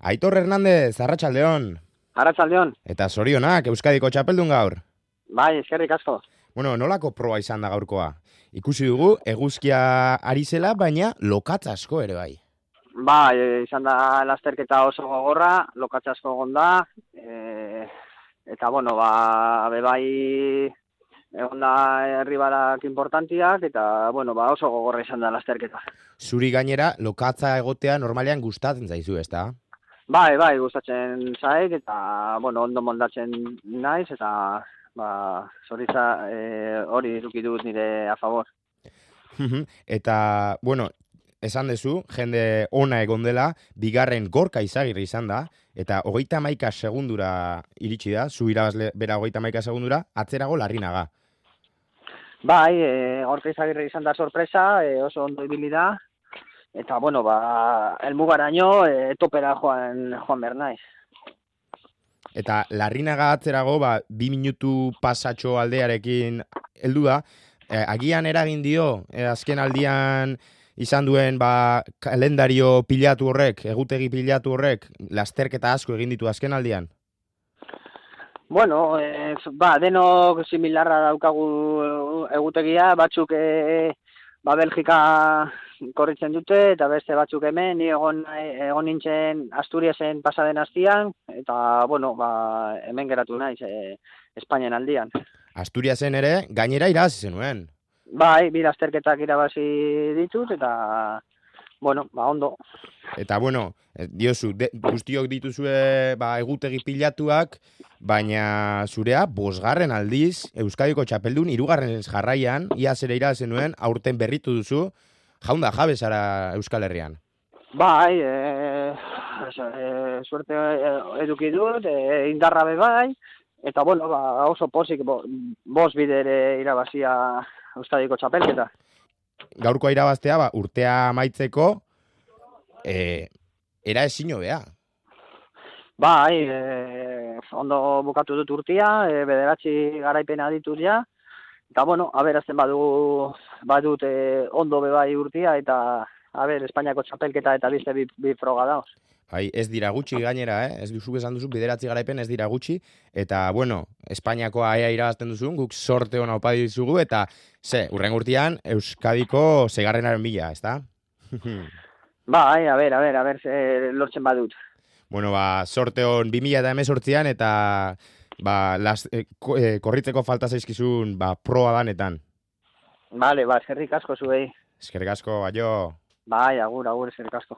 Aitor Hernández, arratsaldeon. Arratsaldeon. Eta zorionak, Euskadiko txapeldun gaur. Bai, eskerrik asko. Bueno, nolako proba izan da gaurkoa? Ikusi dugu, eguzkia ari zela, baina lokatz asko ere bai. Bai, izan da lasterketa oso gogorra, lokatz asko egon da, eta bueno, bai egon da herribarak importantiak, eta bueno, oso gogorra izan da lasterketa. Zuri gainera, lokatza egotea normalean gustatzen zaizu, ezta? Bai, gustatzen zait, eta bueno, ondo moldatzen naiz, eta zoritza hori eduki dut nire a favor. Eta, bueno, esan dezu, jende ona egon dela, bigarren Gorka Izagirre izan da, eta 31 segundura iritsi da, zu irabazle bera 31 segundura, atzerago Larrinaga. Bai, Gorka Izagirre izan da sorpresa, oso ondo ibili da, eta bueno, helmugaraino topera joan behar naiz. Eta Larrinaga atzerago, 2 minutu pasatxo aldearekin heldu da, agian eragin dio, azken aldian izan duen kalendario pilatu horrek, egutegi pilatu horrek, lasterketa asko egin ditu azken aldian? Bueno, denok similarra daukagu egutegia, batzuk Belgika korritzen dute, eta beste batzuk hemen, ni egon nintzen Asturiasen pasaden astian, eta bueno, hemen geratu naiz, Espainian aldian. Asturiasen ere, gainera irabazi zenuen. Bai, bi lasterketak irabazi ditut, eta bueno, ondo. Eta bueno, diozu, guztiok dituzue egutegi pilatuak, baina zurea, 5. aldiz, Euskadiko txapeldun, 3. jarraian, iaz ere irabazi nuen, aurten berritu duzu, jaunda jabe zara Euskal Herrian. Bai, suerte eduki dut, indarra bai, eta bueno, oso pozik 5 bidere irabazia Euskadiko txapelketa. Gaurkoa irabaztea, urtea amaitzeko, era ezin hobea. Bai, ondo bukatu dut urtea, 9 garaipena ditut ja, eta bueno, aberazten badut ondo bai urtea, eta Espainiako txapelketa eta beste bi froga dauz. Bai, ez dira gutxi gainera, ez duzu esan duzu, 9 garaipen ez dira gutxi, eta bueno, Espainiakoa ea irabazten duzun, guk sorte hona opa dizugu, eta urren urtean Euskadiko 6. bila, ez da? Bai, a ber, lortzen badut. Bueno, sorte hon 2018an, eta korritzeko falta zaizkizun proa danetan. Vale, eskerrik asko zuei. Eskerrik asko, aio. Bai, agur, eskerrik asko.